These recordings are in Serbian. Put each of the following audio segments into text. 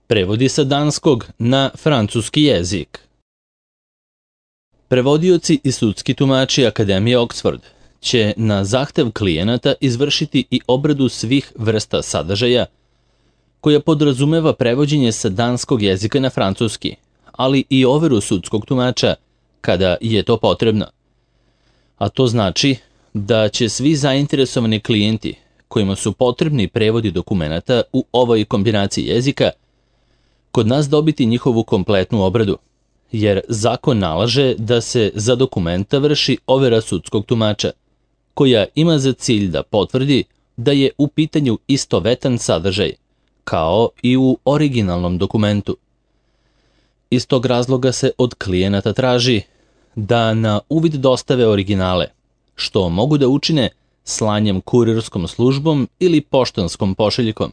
Prevodi sa danskog na francuski jezik. Prevodioci i sudski tumači Akademije Oxford će na zahtev klijenata izvršiti i obradu svih vrsta sadržaja koja podrazumeva prevođenje sa danskog jezika na francuski, ali i overu sudskog tumača kada je to potrebno. A to znači da će svi zainteresovani klijenti kojima su potrebni prevodi dokumenata u ovoj kombinaciji jezika kod nas dobiti njihovu kompletnu obradu, jer zakon nalaže da se za dokumenta vrši overa sudskog tumača, koja ima za cilj da potvrdi da je u pitanju istovetan sadržaj, kao i u originalnom dokumentu. Iz tog razloga se od klijenata traži da na uvid dostave originale, što mogu da učine slanjem kurirskom službom ili poštanskom pošiljkom,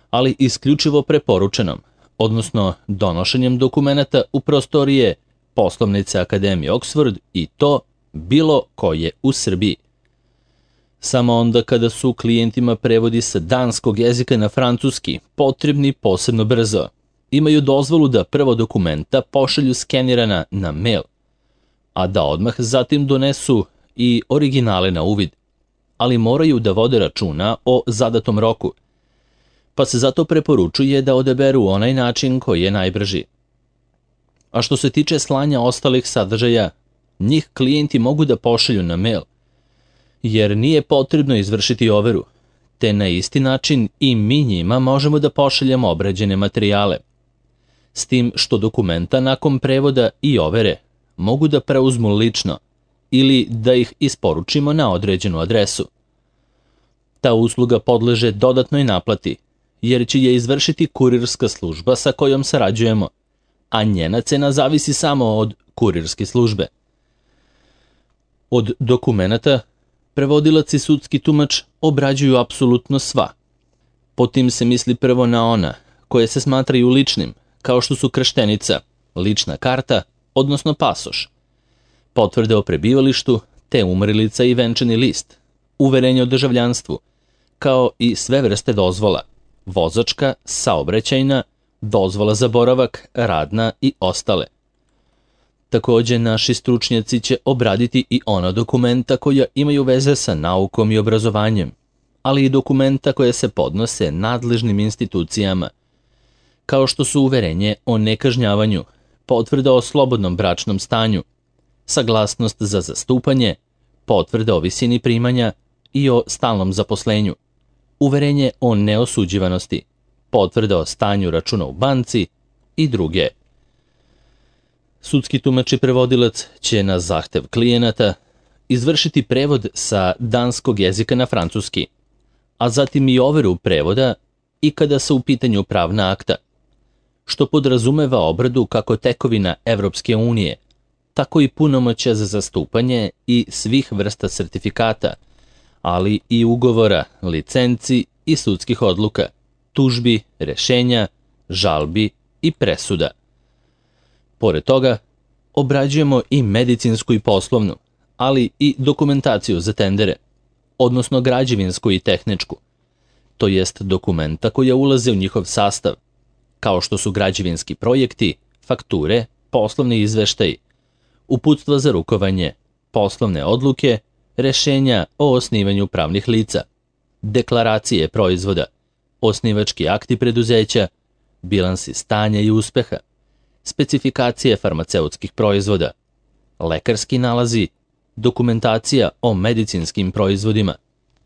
ali isključivo preporučenom, odnosno donošenjem dokumenata u prostorije poslovnice Akademije Oxford i to bilo koje u Srbiji. Samo onda kada su klijentima prevodi sa danskog jezika na francuski potrebni posebno brzo, imaju dozvolu da prvo dokumenta pošalju skenirana na mail, a da odmah zatim donesu i originale na uvid, ali moraju da vode računa o zadatom roku, pa se zato preporučuje da odaberu onaj način koji je najbrži. A što se tiče slanja ostalih sadržaja, njih klijenti mogu da pošalju na mail, jer nije potrebno izvršiti overu, te na isti način i mi njima možemo da pošaljemo obrađene materijale, s tim što dokumenta nakon prevoda i overe mogu da preuzmu lično ili da ih isporučimo na određenu adresu. Ta usluga podleže dodatnoj naplati, jer će je izvršiti kurirska služba sa kojom sarađujemo, a njena cena zavisi samo od kurirske službe. Od dokumenata prevodilac i sudski tumač obrađuju apsolutno sva. Po tim se misli prvo na ona koje se smatraju ličnim, kao što su krštenica, lična karta, odnosno pasoš, potvrde o prebivalištu, te umrlica i venčani list, uverenje o državljanstvu, kao i sve vrste dozvola, vozačka, saobraćajna, dozvola za boravak, radna i ostale. Takođe, naši stručnjaci će obraditi i ona dokumenta koja imaju veze sa naukom i obrazovanjem, ali i dokumenta koje se podnose nadležnim institucijama, kao što su uverenje o nekažnjavanju, potvrda o slobodnom bračnom stanju, saglasnost za zastupanje, potvrda o visini primanja i o stalnom zaposlenju, uverenje o neosuđivanosti, potvrda o stanju računa u banci i druge. Sudski tumač i prevodilac će na zahtev klijenata izvršiti prevod sa danskog jezika na francuski, a zatim i overu prevoda i kada su u pitanju pravna akta, što podrazumeva obradu kako tekovina Evropske unije, tako i punomoćja za zastupanje i svih vrsta sertifikata, ali i ugovora, licenci i sudskih odluka, tužbi, rešenja, žalbi i presuda. Pored toga, obrađujemo i medicinsku i poslovnu, ali i dokumentaciju za tendere, odnosno građevinsku i tehničku, to jest dokumenta koja ulaze u njihov sastav, kao što su građevinski projekti, fakture, poslovni izveštaji, uputstva za rukovanje, poslovne odluke, rešenja o osnivanju pravnih lica, deklaracije proizvoda, osnivački akti preduzeća, bilansi stanja i uspeha, specifikacije farmaceutskih proizvoda, lekarski nalazi, dokumentacija o medicinskim proizvodima,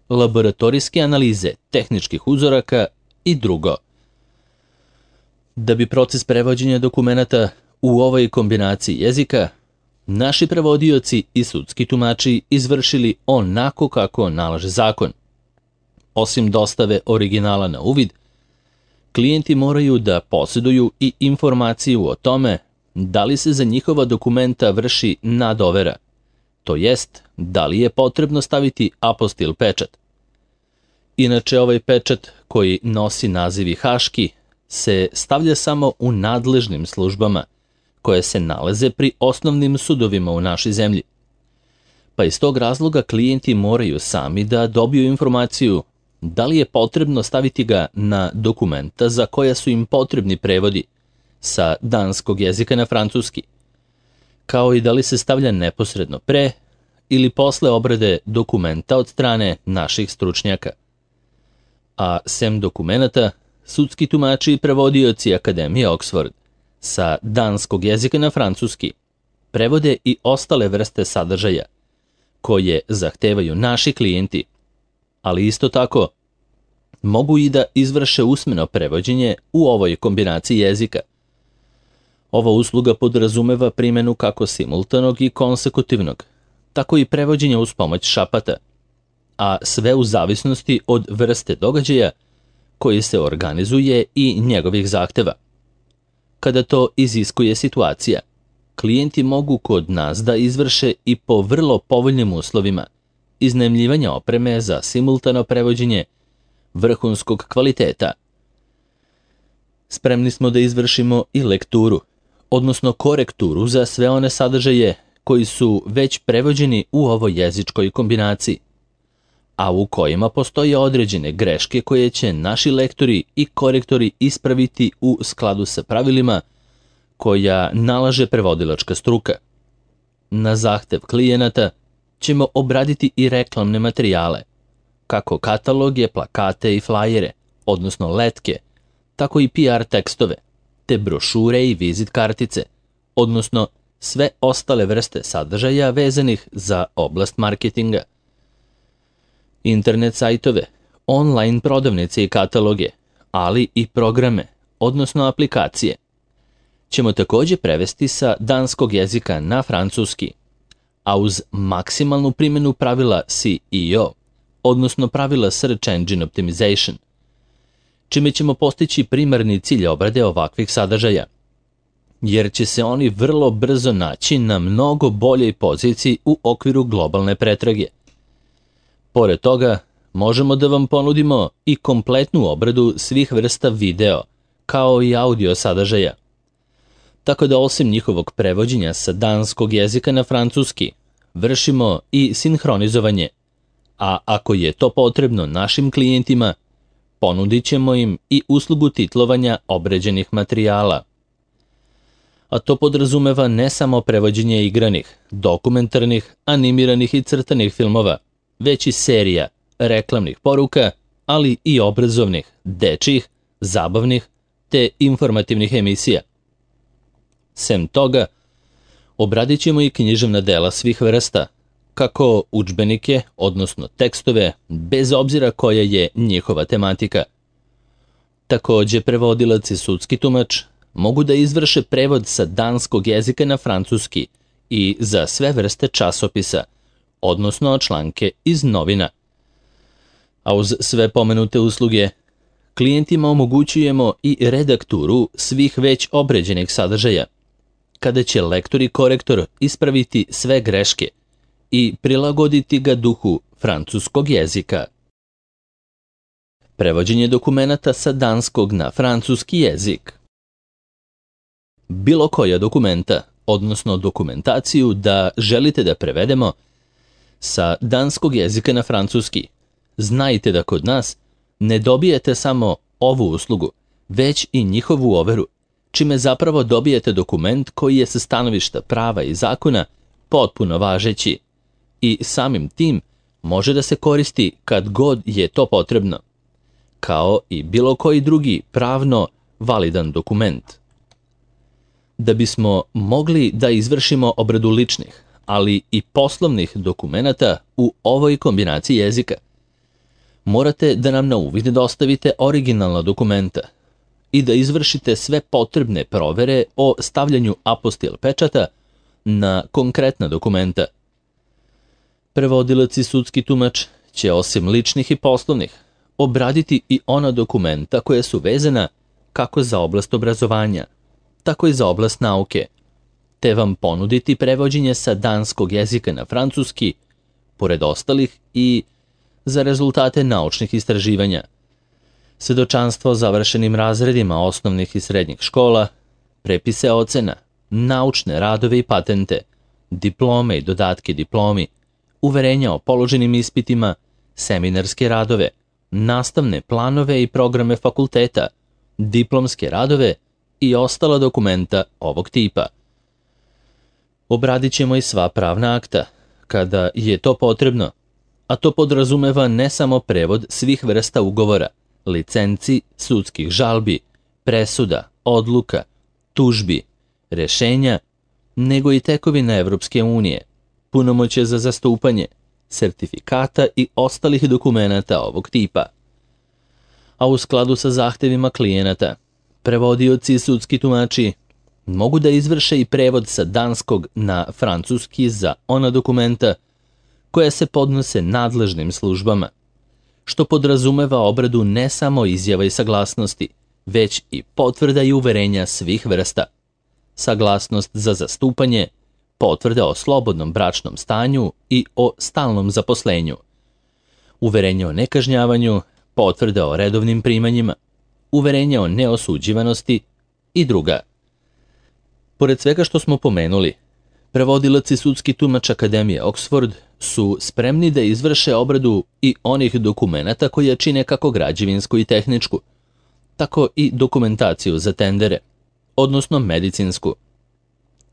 laboratorijske analize tehničkih uzoraka i drugo. Da bi proces prevođenja dokumenata u ovoj kombinaciji jezika naši prevodioci i sudski tumači izvršili onako kako nalaže zakon. Osim dostave originala na uvid, klijenti moraju da posjeduju i informaciju o tome da li se za njihova dokumenta vrši nadovera, to jest da li je potrebno staviti apostil pečat. Inače, ovaj pečat koji nosi naziv haški se stavlja samo u nadležnim službama koje se nalaze pri osnovnim sudovima u našoj zemlji. Pa iz tog razloga klijenti moraju sami da dobiju informaciju da li je potrebno staviti ga na dokumenta za koja su im potrebni prevodi sa danskog jezika na francuski, kao i da li se stavlja neposredno pre ili posle obrade dokumenta od strane naših stručnjaka. A sem dokumenata, sudski tumači i prevodioci Akademije Oxford sa danskog jezika na francuski prevode i ostale vrste sadržaja koje zahtevaju naši klijenti, ali isto tako mogu i da izvrše usmeno prevođenje u ovoj kombinaciji jezika. Ova usluga podrazumeva primjenu kako simultanog i konsekutivnog, tako i prevođenja uz pomoć šapata, a sve u zavisnosti od vrste događaja koji se organizuje i njegovih zahteva. Kada to iziskuje situacija, klijenti mogu kod nas da izvrše i po vrlo povoljnim uslovima iznajmljivanja opreme za simultano prevođenje vrhunskog kvaliteta. Spremni smo da izvršimo i lekturu, odnosno korekturu za sve one sadržaje koji su već prevođeni u ovoj jezičkoj kombinaciji, a u kojima postoje određene greške koje će naši lektori i korektori ispraviti u skladu sa pravilima koja nalaže prevodilačka struka. Na zahtev klijenata ćemo obraditi i reklamne materijale, kako kataloge, plakate i flajere, odnosno letke, tako i PR tekstove, te brošure i vizit kartice, odnosno sve ostale vrste sadržaja vezanih za oblast marketinga. Internet sajtove, online prodavnice i kataloge, ali i programe, odnosno aplikacije, ćemo također prevesti sa danskog jezika na francuski, a uz maksimalnu primjenu pravila SEO, odnosno pravila Search Engine Optimization, čime ćemo postići primarni cilj obrade ovakvih sadržaja, jer će se oni vrlo brzo naći na mnogo boljoj poziciji u okviru globalne pretrage. Pored toga, možemo da vam ponudimo i kompletnu obradu svih vrsta video, kao i audio sadržaja. Tako da osim njihovog prevođenja sa danskog jezika na francuski, vršimo i sinhronizovanje, a ako je to potrebno našim klijentima, ponudit ćemo im i uslugu titlovanja obrađenih materijala. A to podrazumeva ne samo prevođenje igranih, dokumentarnih, animiranih i crtanih filmova, već i serija, reklamnih poruka, ali i obrazovnih, dečjih, zabavnih te informativnih emisija. Sem toga, obradit ćemo i književna dela svih vrsta, kako udžbenike, odnosno tekstove, bez obzira koja je njihova tematika. Također, prevodilac i sudski tumač mogu da izvrše prevod sa danskog jezika na francuski i za sve vrste časopisa, odnosno članke iz novina. A uz sve pomenute usluge, klijentima omogućujemo i redakturu svih već obrađenih sadržaja, kada će lektor i korektor ispraviti sve greške i prilagoditi ga duhu francuskog jezika. Prevođenje dokumenata sa danskog na francuski jezik. Bilo koja dokumenta, odnosno dokumentaciju da želite da prevedemo sa danskog jezika na francuski, znajte da kod nas ne dobijete samo ovu uslugu, već i njihovu overu, čime zapravo dobijete dokument koji je sa stanovišta prava i zakona potpuno važeći i samim tim može da se koristi kad god je to potrebno, kao i bilo koji drugi pravno validan dokument. Da bismo mogli da izvršimo obradu ličnih, ali i poslovnih dokumenata u ovoj kombinaciji jezika, morate da nam na uvid dostavite originalna dokumenta i da izvršite sve potrebne provere o stavljanju apostil pečata na konkretna dokumenta. Prevodilac i sudski tumač će osim ličnih i poslovnih obraditi i ona dokumenta koja su vezana kako za oblast obrazovanja, tako i za oblast nauke, te vam ponuditi prevođenje sa danskog jezika na francuski, pored ostalih i za rezultate naučnih istraživanja, svedočanstvo o završenim razredima osnovnih i srednjih škola, prepise ocena, naučne radove i patente, diplome i dodatke diplomi, uverenja o položenim ispitima, seminarske radove, nastavne planove i programe fakulteta, diplomske radove i ostala dokumenta ovog tipa. Obradit ćemo i sva pravna akta, kada je to potrebno, a to podrazumeva ne samo prevod svih vrsta ugovora, licenci, sudskih žalbi, presuda, odluka, tužbi, rešenja, nego i tekovina Evropske unije, punomoćje za zastupanje, sertifikata i ostalih dokumenata ovog tipa. A u skladu sa zahtevima klijenata, prevodioci i sudski tumači mogu da izvrše i prevod sa danskog na francuski za ona dokumenta koja se podnose nadležnim službama, što podrazumeva obradu ne samo izjava i saglasnosti, već i potvrda i uverenja svih vrsta. Saglasnost za zastupanje, potvrde o slobodnom bračnom stanju i o stalnom zaposlenju, uverenje o nekažnjavanju, potvrde o redovnim primanjima, uverenje o neosuđivanosti i druga. Pored svega što smo pomenuli, prevodilac i sudski tumač Akademije Oxford su spremni da izvrše obradu i onih dokumenata koje čine kako građevinsku i tehničku, tako i dokumentaciju za tendere, odnosno medicinsku.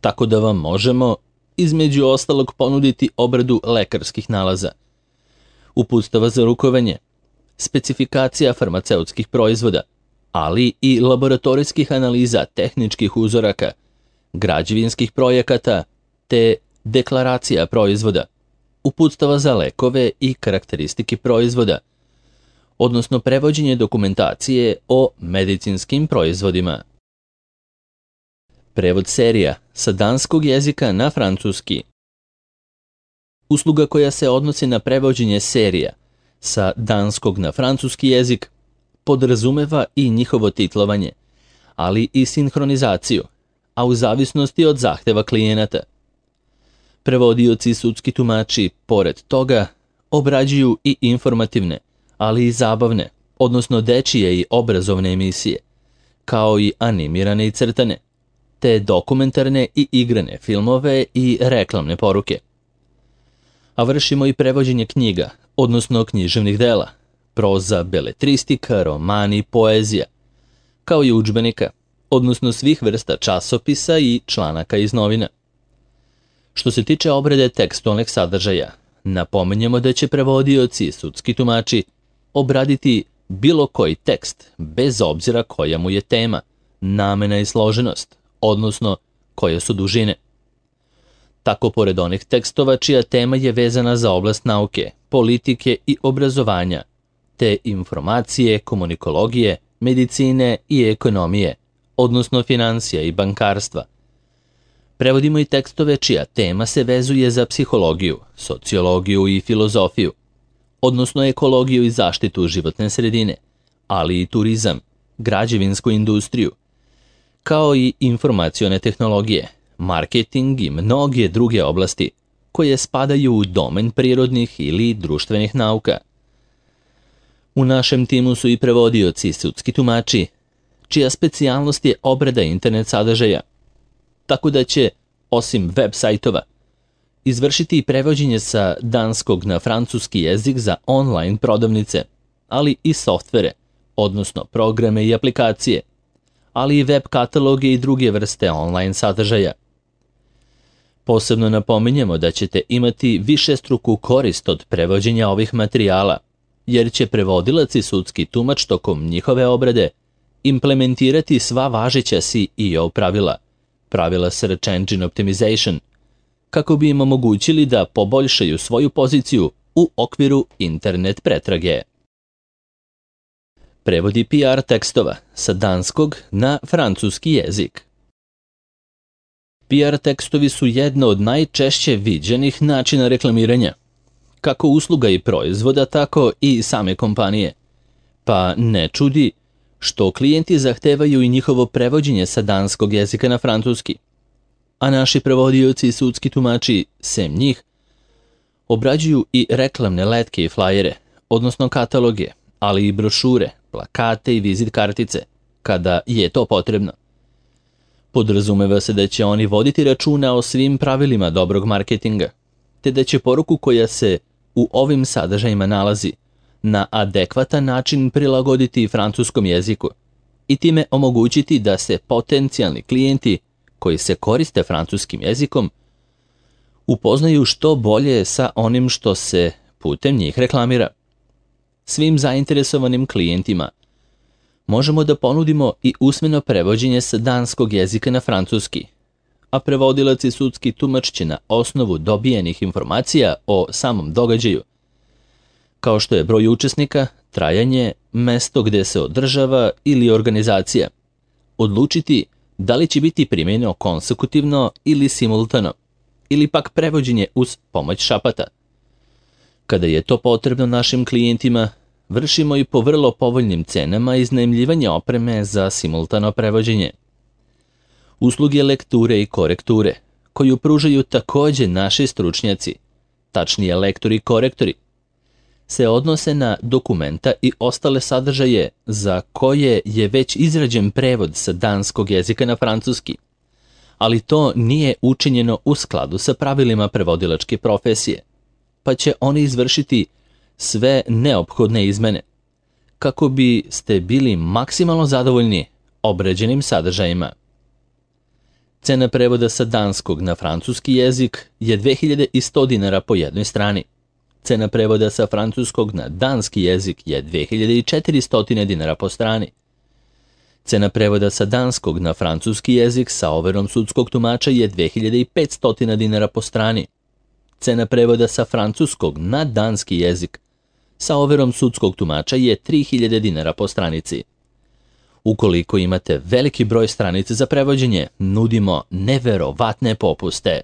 Tako da vam možemo, između ostalog, ponuditi obradu lekarskih nalaza, uputstava za rukovanje, specifikacija farmaceutskih proizvoda, ali i laboratorijskih analiza tehničkih uzoraka, građevinskih projekata te deklaracija proizvoda, uputstava za lekove i karakteristike proizvoda, odnosno prevođenje dokumentacije o medicinskim proizvodima. Prevod serija sa danskog jezika na francuski. Usluga koja se odnosi na prevođenje serija sa danskog na francuski jezik podrazumeva i njihovo titlovanje, ali i sinhronizaciju, a u zavisnosti od zahteva klijenata. Prevodioci i sudski tumači, pored toga, obrađuju i informativne, ali i zabavne, odnosno dečije i obrazovne emisije, kao i animirane i crtane, te dokumentarne i igrane filmove i reklamne poruke. A vršimo i prevođenje knjiga, odnosno književnih dela, proza, beletristika, romani, poezija, kao i udžbenika, odnosno svih vrsta časopisa i članaka iz novina. Što se tiče obrade tekstualnih sadržaja, napominjemo da će prevodioci i sudski tumači obraditi bilo koji tekst, bez obzira koja mu je tema, namena i složenost, odnosno koje su dužine. Tako pored onih tekstova čija tema je vezana za oblast nauke, politike i obrazovanja, te informacije, komunikologije, medicine i ekonomije, odnosno financija i bankarstva. Prevodimo i tekstove čija tema se vezuje za psihologiju, sociologiju i filozofiju, odnosno ekologiju i zaštitu životne sredine, ali i turizam, građevinsku industriju, kao i informacione tehnologije, marketing i mnoge druge oblasti koje spadaju u domen prirodnih ili društvenih nauka. U našem timu su i prevodioci i sudski tumači, čija specijalnost je obrada internet sadržaja, tako da će, osim web sajtova, izvršiti i prevođenje sa danskog na francuski jezik za online prodavnice, ali i softvere, odnosno programe i aplikacije, ali i web kataloge i druge vrste online sadržaja. Posebno napominjemo da ćete imati višestruku korist od prevođenja ovih materijala, jer će prevodilac i sudski tumač tokom njihove obrade implementirati sva važeća SEO pravila, pravila Search Engine Optimization, kako bi im omogućili da poboljšaju svoju poziciju u okviru internet pretrage. Prevodi PR tekstova sa danskog na francuski jezik. PR tekstovi su jedno od najčešće viđenih načina reklamiranja, kako usluga i proizvoda, tako i same kompanije. Pa ne čudi što klijenti zahtevaju i njihovo prevođenje sa danskog jezika na francuski, a naši prevodioci i sudski tumači, sem njih, obrađuju i reklamne letke i flajere, odnosno kataloge, ali i brošure, plakate i vizit kartice, kada je to potrebno. Podrazumeva se da će oni voditi računa o svim pravilima dobrog marketinga, te da će poruku koja se u ovim sadržajima nalazi na adekvatan način prilagoditi francuskom jeziku i time omogućiti da se potencijalni klijenti koji se koriste francuskim jezikom upoznaju što bolje sa onim što se putem njih reklamira. Svim zainteresovanim klijentima možemo da ponudimo i usmeno prevođenje sa danskog jezika na francuski, a prevodilac i sudski tumač će na osnovu dobijenih informacija o samom događaju, kao što je broj učesnika, trajanje, mesto gde se održava ili organizacija, odlučiti da li će biti primjenjeno konsekutivno ili simultano, ili pak prevođenje uz pomoć šapata. Kada je to potrebno našim klijentima, vršimo i po vrlo povoljnim cenama iznajmljivanje opreme za simultano prevođenje. Usluge lekture i korekture, koju pružaju takođe naši stručnjaci, tačnije lektori i korektori, se odnose na dokumenta i ostale sadržaje za koje je već izrađen prevod sa danskog jezika na francuski, ali to nije učinjeno u skladu sa pravilima prevodilačke profesije, pa će oni izvršiti sve neophodne izmene, kako biste bili maksimalno zadovoljni obrađenim sadržajima. Cena prevoda sa danskog na francuski jezik je 2100 dinara po jednoj strani. Cena prevoda sa francuskog na danski jezik je 2400 dinara po strani. Cena prevoda sa danskog na francuski jezik sa overom sudskog tumača je 2500 dinara po strani. Cena prevoda sa francuskog na danski jezik sa overom sudskog tumača je 3000 dinara po stranici. Ukoliko imate veliki broj stranica za prevođenje, nudimo neverovatne popuste.